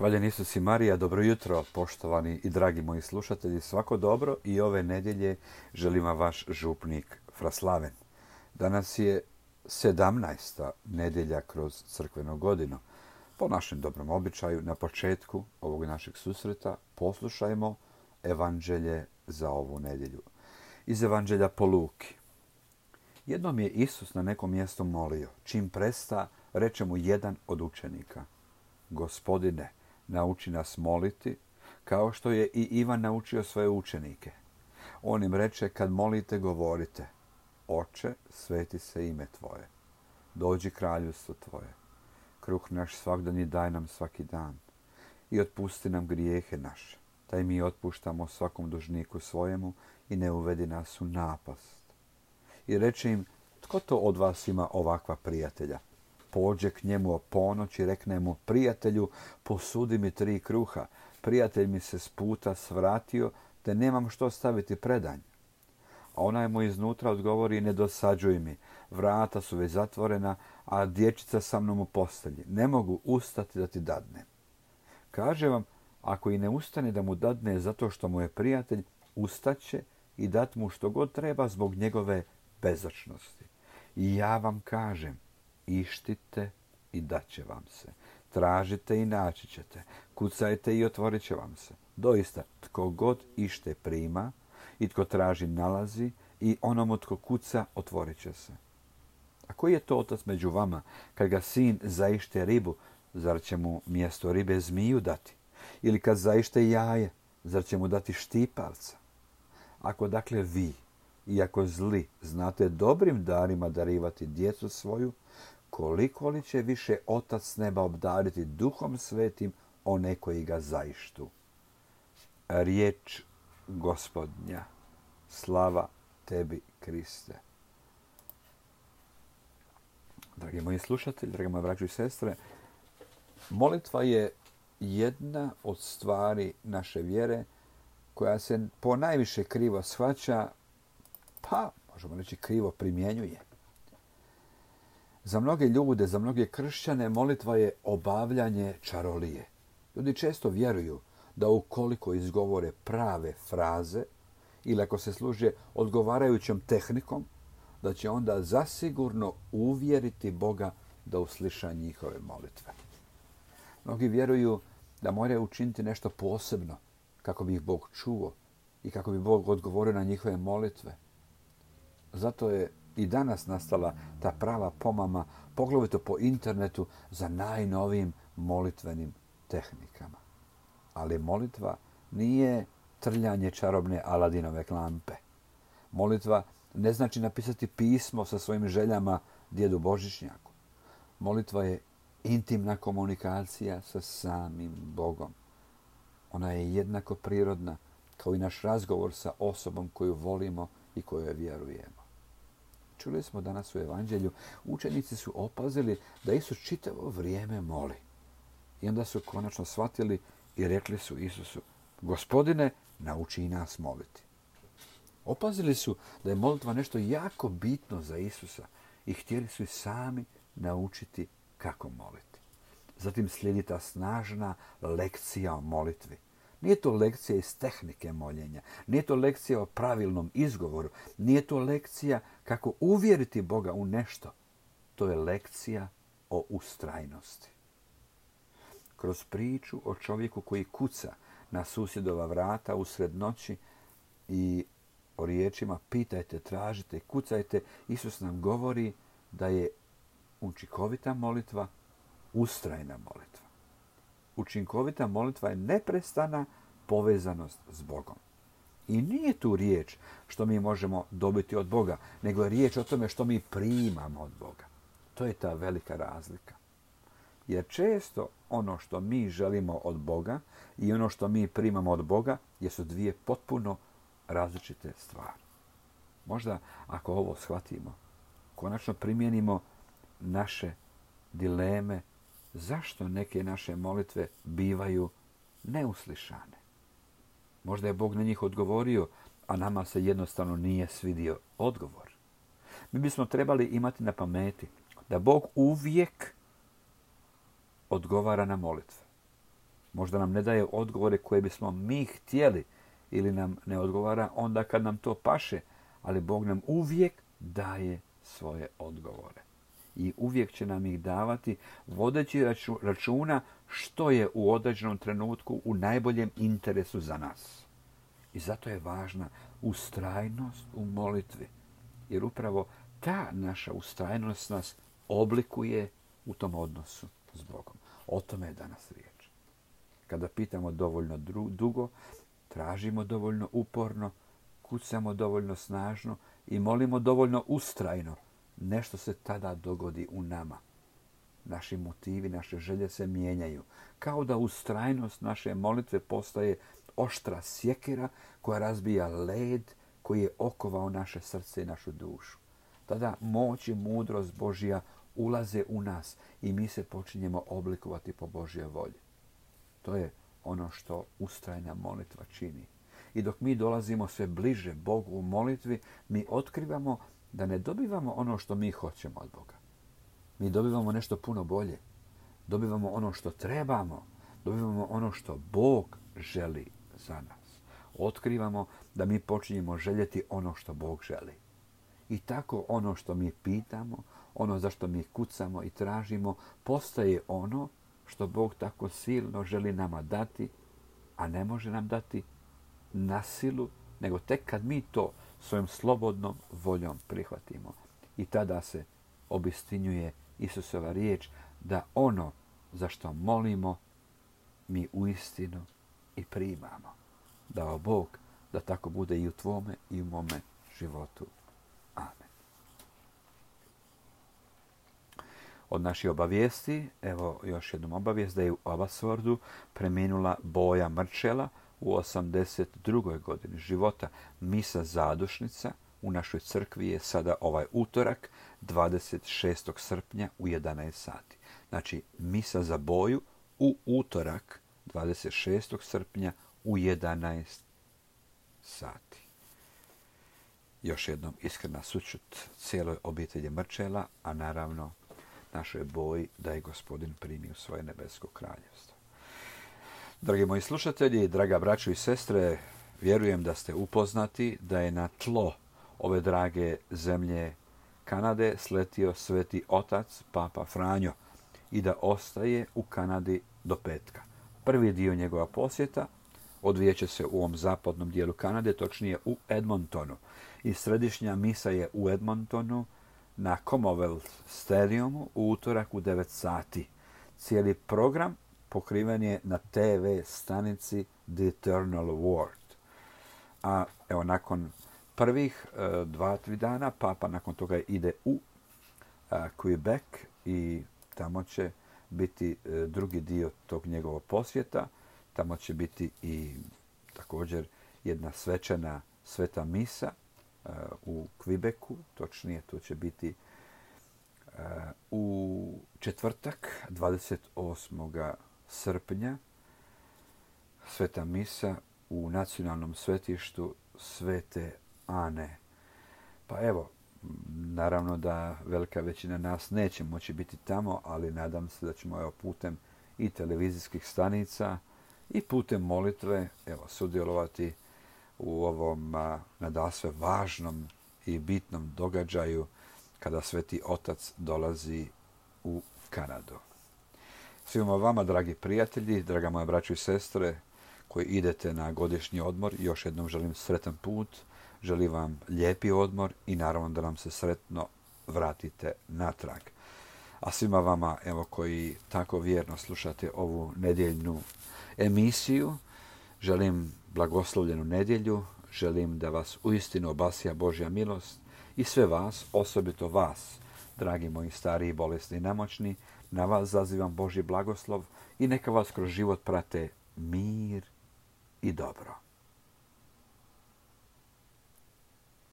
Hvaljen Isus i Marija, dobro jutro, poštovani i dragi moji slušatelji, svako dobro i ove nedjelje želim vam vaš župnik Fraslaven. Danas je 17. nedjelja kroz crkvenu godinu. Po našem dobrom običaju, na početku ovog našeg susreta poslušajmo evanđelje za ovu nedjelju. Iz evanđelja po Luki. Jednom je Isus na nekom mjestu molio. Čim presta, reče mu jedan od učenika: Gospodine, nauči nas moliti, kao što je i Ivan naučio svoje učenike. On im reče, kad molite, govorite: Oče, sveti se ime Tvoje. Dođi kraljevstvo Tvoje. Kruh naš svagdanji daj nam svaki dan. I otpusti nam grijehe naše, taj mi otpuštamo svakom dužniku svojemu, i ne uvedi nas u napast. I reče im, tko to od vas ima ovakva prijatelja? Pođe k njemu o ponoć i rekne mu: Prijatelju, posudi mi 3 kruha. Prijatelj mi se s puta svratio, te nemam što staviti predanj. A onaj mu iznutra odgovori: Ne dosađuj mi, vrata su već zatvorena, a dječica sa mnom u postelji. Ne mogu ustati da ti dadnem. Kaže vam, ako i ne ustane da mu dadne zato što mu je prijatelj, ustaće i dat mu što god treba zbog njegove bezočnosti. I ja vam kažem, ištite i daće vam se. Tražite i naći ćete. Kucajte i otvorit će vam se. Doista, tko god ište prima i tko traži nalazi, i onomu tko kuca otvorit će se. A koji je to otac među vama, kad ga sin zaište ribu, zar će mu mjesto ribe zmiju dati? Ili kad zaište jaje, zar će mu dati štipavca? Ako dakle vi, iako zli, znate dobrim darima darivati djecu svoju, koliko li će više Otac s neba obdariti Duhom Svetim one koji ga zaištu. Riječ Gospodnja. Slava tebi, Kriste. Dragi moji slušatelji, dragi moji braćo i sestre, molitva je jedna od stvari naše vjere koja se ponajviše krivo shvaća, pa možemo reći krivo primjenjuje. Za mnoge ljude, za mnoge kršćane, molitva je obavljanje čarolije. Ljudi često vjeruju da ukoliko izgovore prave fraze ili ako se služe odgovarajućom tehnikom, da će onda zasigurno uvjeriti Boga da usliša njihove molitve. Mnogi vjeruju da moraju učiniti nešto posebno kako bi ih Bog čuo i kako bi Bog odgovorio na njihove molitve. Zato je i danas nastala ta prava pomama, poglavito po internetu, za najnovijim molitvenim tehnikama. Ali molitva nije trljanje čarobne Aladinove lampe. Molitva ne znači napisati pismo sa svojim željama djedu Božićnjaku. Molitva je intimna komunikacija sa samim Bogom. Ona je jednako prirodna kao i naš razgovor sa osobom koju volimo i kojoj vjerujemo. Čuli smo danas u evanđelju, učenici su opazili da Isus čitavo vrijeme moli. I onda su konačno shvatili i rekli su Isusu: Gospodine, nauči i nas moliti. Opazili su da je molitva nešto jako bitno za Isusa i htjeli su i sami naučiti kako moliti. Zatim slijedi ta snažna lekcija o molitvi. Nije to lekcija iz tehnike moljenja, nije to lekcija o pravilnom izgovoru, nije to lekcija kako uvjeriti Boga u nešto. To je lekcija o ustrajnosti. Kroz priču o čovjeku koji kuca na susjedova vrata usred noći i o riječima pitajte, tražite, kucajte, Isus nam govori da je učinkovita molitva ustrajna molitva. Učinkovita molitva je neprestana povezanost s Bogom. I nije tu riječ što mi možemo dobiti od Boga, nego je riječ o tome što mi primamo od Boga. To je ta velika razlika. Jer često ono što mi želimo od Boga i ono što mi primamo od Boga jesu dvije potpuno različite stvari. Možda ako ovo shvatimo, konačno primijenimo naše dileme, zašto neke naše molitve bivaju neuslišane. Možda je Bog na njih odgovorio, a nama se jednostavno nije svidio odgovor. Mi bismo trebali imati na pameti da Bog uvijek odgovara na molitve. Možda nam ne daje odgovore koje bismo mi htjeli ili nam ne odgovara onda kad nam to paše, ali Bog nam uvijek daje svoje odgovore. I uvijek će nam ih davati vodeći računa što je u određenom trenutku u najboljem interesu za nas. I zato je važna ustrajnost u molitvi. Jer upravo ta naša ustrajnost nas oblikuje u tom odnosu s Bogom. O tome je danas riječ. Kada pitamo dovoljno dugo, tražimo dovoljno uporno, kucamo dovoljno snažno i molimo dovoljno ustrajno, nešto se tada dogodi u nama. Naši motivi, naše želje se mijenjaju. Kao da ustrajnost naše molitve postaje oštra sjekira koja razbija led koji je okovao naše srce i našu dušu. Tada moć i mudrost Božja ulaze u nas i mi se počinjemo oblikovati po Božjoj volji. To je ono što ustrajna molitva čini. I dok mi dolazimo sve bliže Bogu u molitvi, mi otkrivamo da ne dobivamo ono što mi hoćemo od Boga. Mi dobivamo nešto puno bolje. Dobivamo ono što trebamo. Dobivamo ono što Bog želi za nas. Otkrivamo da mi počinjemo željeti ono što Bog želi. I tako ono što mi pitamo, ono za što mi kucamo i tražimo, postaje ono što Bog tako silno želi nama dati, a ne može nam dati na silu, nego tek kad mi to svojom slobodnom voljom prihvatimo. I tada se obistinjuje Isusova riječ da ono za što molimo mi uistinu i primamo. Dao Bog da tako bude i u tvome i u mome životu. Amen. Od naših obavijesti, evo još jednom obavijest da je u Abbotsfordu preminula Boja Mrčela u 82. godini života. Misa zadušnica u našoj crkvi je sada ovaj utorak, 26. srpnja u 11 sati. Znači, misa za Boju u utorak, 26. srpnja u 11 sati. Još jednom iskrena sućut cijeloj obitelji Mrčela, a naravno našoj Boji da je Gospodin primi u svoje nebesko kraljevstvo. Dragi moji slušatelji, draga braćo i sestre, vjerujem da ste upoznati da je na tlo ove drage zemlje Kanade sletio Sveti Otac Papa Franjo i da ostaje u Kanadi do petka. Prvi dio njegova posjeta odvijeće se u ovom zapadnom dijelu Kanade, točnije u Edmontonu. I središnja misa je u Edmontonu na Commonwealth Stadiumu u utorak u 9 sati. Cijeli program pokriven je na TV stanici The Eternal Word. A evo nakon prvih 2-3 dana Papa nakon toga ide u Quebec i tamo će biti drugi dio tog njegovog posjeta. Tamo će biti i također jedna svečana sveta misa u Quebecu, točnije to će biti u četvrtak 28. srpnja sveta misa u nacionalnom svetištu Svete Ane. Pa evo, naravno da velika većina nas neće moći biti tamo, ali nadam se da ćemo putem i televizijskih stanica i putem molitve sudjelovati u ovom nadasve važnom i bitnom događaju kada Sveti Otac dolazi u Kanadu. Svima vama, dragi prijatelji, draga moja braćo i sestre, koji idete na godišnji odmor, još jednom želim sretan put, želim vam lijepi odmor i naravno da nam se sretno vratite natrag. A svima vama, koji tako vjerno slušate ovu nedjeljnu emisiju, želim blagoslovljenu nedjelju, želim da vas uistinu obasja Božja milost i sve vas, osobito vas, dragi moji stariji, bolesni i nemoćni, na vas zazivam Božji blagoslov i neka vas kroz život prate mir i dobro.